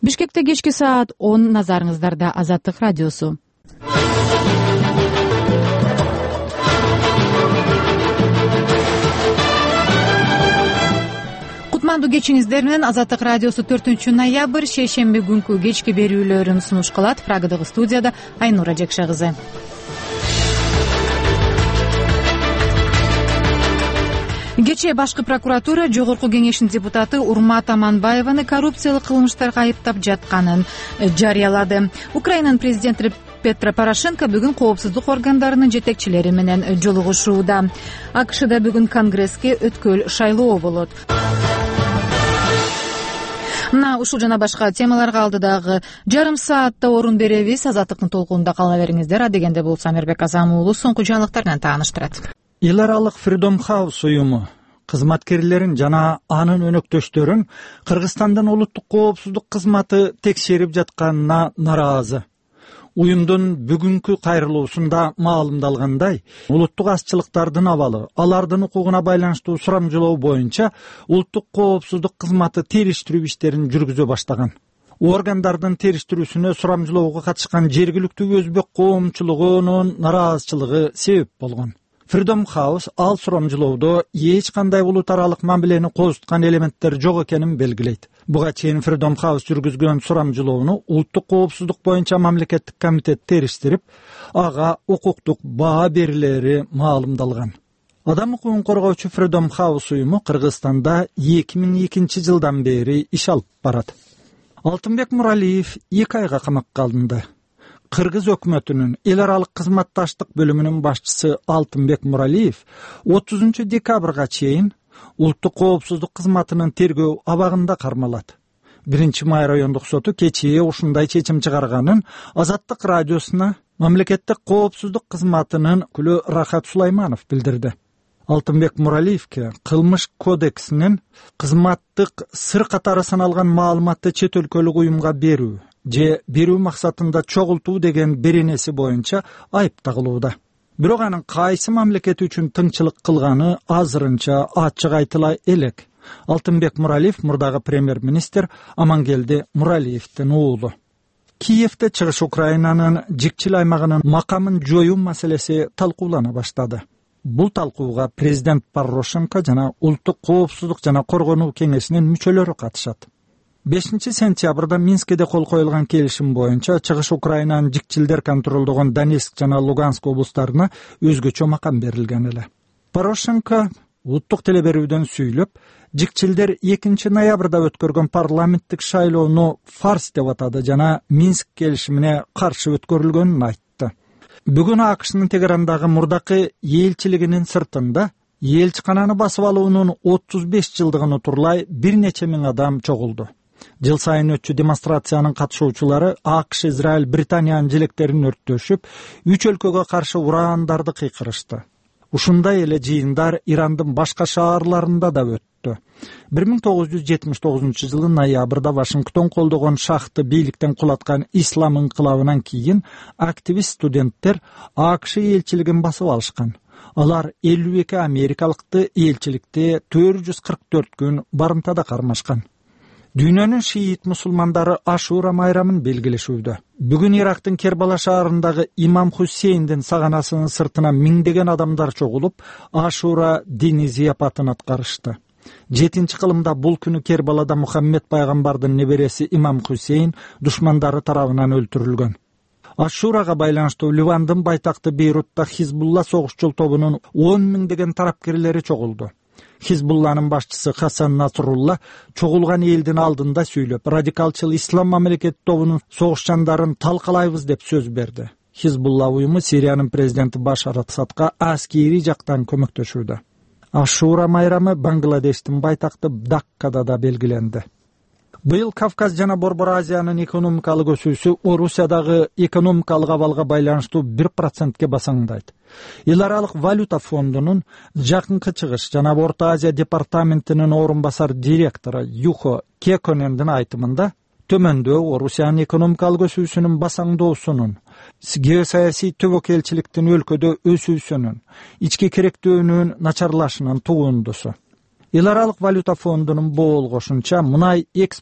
Бишкекте кечки саат 10 назарыңыздарда Азаттык радиосу. Кутмандуу кечиңиздер менен Азаттык радиосу 4-ноябрь шейшемби күнкү кечки берүүлөрүн сунуш кылат. Прагадагы студияда Айнура Жекше кызы. Кечээ башкы прокуратура Жогорку кеңештин депутаты Урмат Аманбаеваны коррупциялык кылмыштарга айыптап жатканын жарыялады. Украинанын президенти Петро Порошенко бүгүн коопсуздук органдарынын жетекчилери менен жолугушууда. АКШда бүгүн Конгресске өткөл шайлоо болот. Мына ушул жана башка темаларга алдыдагы жарым саатта орун беребиз. Азаттыктын толкунунда кала бериңиздер. Адегенде болсо Амирбек Азам уулу соңку жаңылыктар менен тааныштырат. Эл аралык Freedom House уюму кызматкерлерин жана анын өнөктөштөрүн Кыргызстандын улуттук коопсуздук кызматы текшерип жатканына нааразы. Уюмдун бүгүнкү кайрылуусунда маалымдалгандай, улуттук азчылыктардын абалы, алардын укугуна байланыштуу сурамжылоо боюнча улуттук коопсуздук кызматы териштирүү иштерин жүргүзө баштаган. Органдардын териштирүүсүнө сурамжылоого катышкан жергиликтүү өзбек коомчулугунун нараазычылыгы себеп болгон. Freedom House ал сурамжылоодо эч кандай улут аралык мамилени козуткан элементтер жок экенин белгилейт. Буга чейин Freedom House жүргүзгөн сурамжылоону улуттук коопсуздук боюнча мамлекеттик комитет териштирип, ага укуктук баа берилери маалымдалган. Адам укугун коргоочу Freedom House уюму Кыргызстанда 2002 жылдан бери иш алып барат. Алтынбек Муралиев 2 айга камакка алынды. Кыргыз өкмөтүнүн эл аралык кызматташтык бөлүмүнүн башчысы Алтынбек Муралиев 30 декабрга чейин улуттук коопсуздук кызматынын тергөө абагында кармалат. 1-Май райондук соту кечээ ушундай чечим чыгарганын Азаттык радиосуна мамлекеттик коопсуздук кызматынын өкүлү Рахат Сулайманов билдирди. Алтынбек Муралиевке кылмыш кодексинин кызматтык сыр катары саналган маалыматты чет өлкөлүк уюмга берүү же берүү максатында чогултуу деген беренеси боюнча айып тагылууда. Бирок анын кайсы мамлекет үчүн тыңчылык кылганы азырынча ачык айтыла элек. Алтынбек Муралиев мурдагы премьер-министр Амангелди Муралиевдин уулу. Киевде Чыгыш Украинанын жикчил аймагынын макамын жоюу маселеси талкуулана баштады. Бул талкууга президент Порошенко жана улуттук коопсуздук жана коргонуу кеңешинин мүчөлөрү катышат. 5 сентябрда Минскеде кол коюлган келишим боюнча Чыгыш Украинанын жикчилдер контролдогон Донецк жана Луганск облустарына өзгөчө макам берилген эле. Порошенко улуттук телеберүүдөн сүйлөп, жикчилдер 2 ноябрда өткөргөн парламенттик шайлоону фарс деп атады жана Минск келишимине каршы өткөрүлгөнүн айтты. Бүгүн АКШнын Тегерандагы мурдакы элчилигинин сыртында элчикананы басып алуунун 35 жылдыгын утурлай бир нече миң адам чогулду. Жыл сайын өтчү демонстрациянын катышуучулары АКШ, Израиль, Британиянын желектерин өрттөшүп, 3 өлкөгө каршы ураандарды кыйкырышты. Ушундай эле жыйындар Ирандын башка шаарларында да өттү. 1979 жылы ноябрда Вашингтон колдогон шахты бийликтен кулаткан ислам инкылабынан кийин активист студенттер АКШ элчилигин басып алышкан. Алар 52 америкалыкты элчиликте 444 күн барымтада кармашкан. Дүйнөнүн шиит мусулмандары Ашура майрамын белгилешүүдө. Бүгүн Ирактын Кербала шаарындагы Имам Хусейндин саганасынын сыртына миңдеген адамдар чогулуп, Ашура диний зияпатын аткарышты. 7-кылымда бул күнү Кербалада Мухаммед пайгамбардын небереси Имам Хусейн душмандары тарабынан өлтүрүлгөн. Ашурага байланыштуу Ливандын байтакты Бейрутта Хизбулла согушчул тобунун 10 миңдеген тарапкерлери чогулду. Хизбулланын башчысы Хасан Насрулла чогулган элдин алдында сүйлөп, радикалчыл ислам мамлекет тобунун согушчандарын талкалайбыз деп сөз берди. Хизбулла уюму Сириянын президенти Башар Асадка аскери жактан көмөктөшүүдө. Ашура майрамы Бангладештин байтакты Даккада да белгиленди. Быйыл Кавказ жана Борбор Азиянын экономикалык өсүүсү Орусиядагы экономикалык абалга байланыштуу 1%ке басаңдайт. Эл аралык валюта фондунун Жакынкы Чыгыш жана Орто Азия департаментинин орун басар директору Юхо Кеконендин айтымында, төмөндөө Орусиянын экономикалык өсүүсүнүн басаңдоосунун, геосаясий төбөкелчиликтин өлкөдө өсүүсүнүн, ички керектөөнүн начарлашынын тугундусу. Эл аралык валюта фондунун боолгошунча, мунай экспорт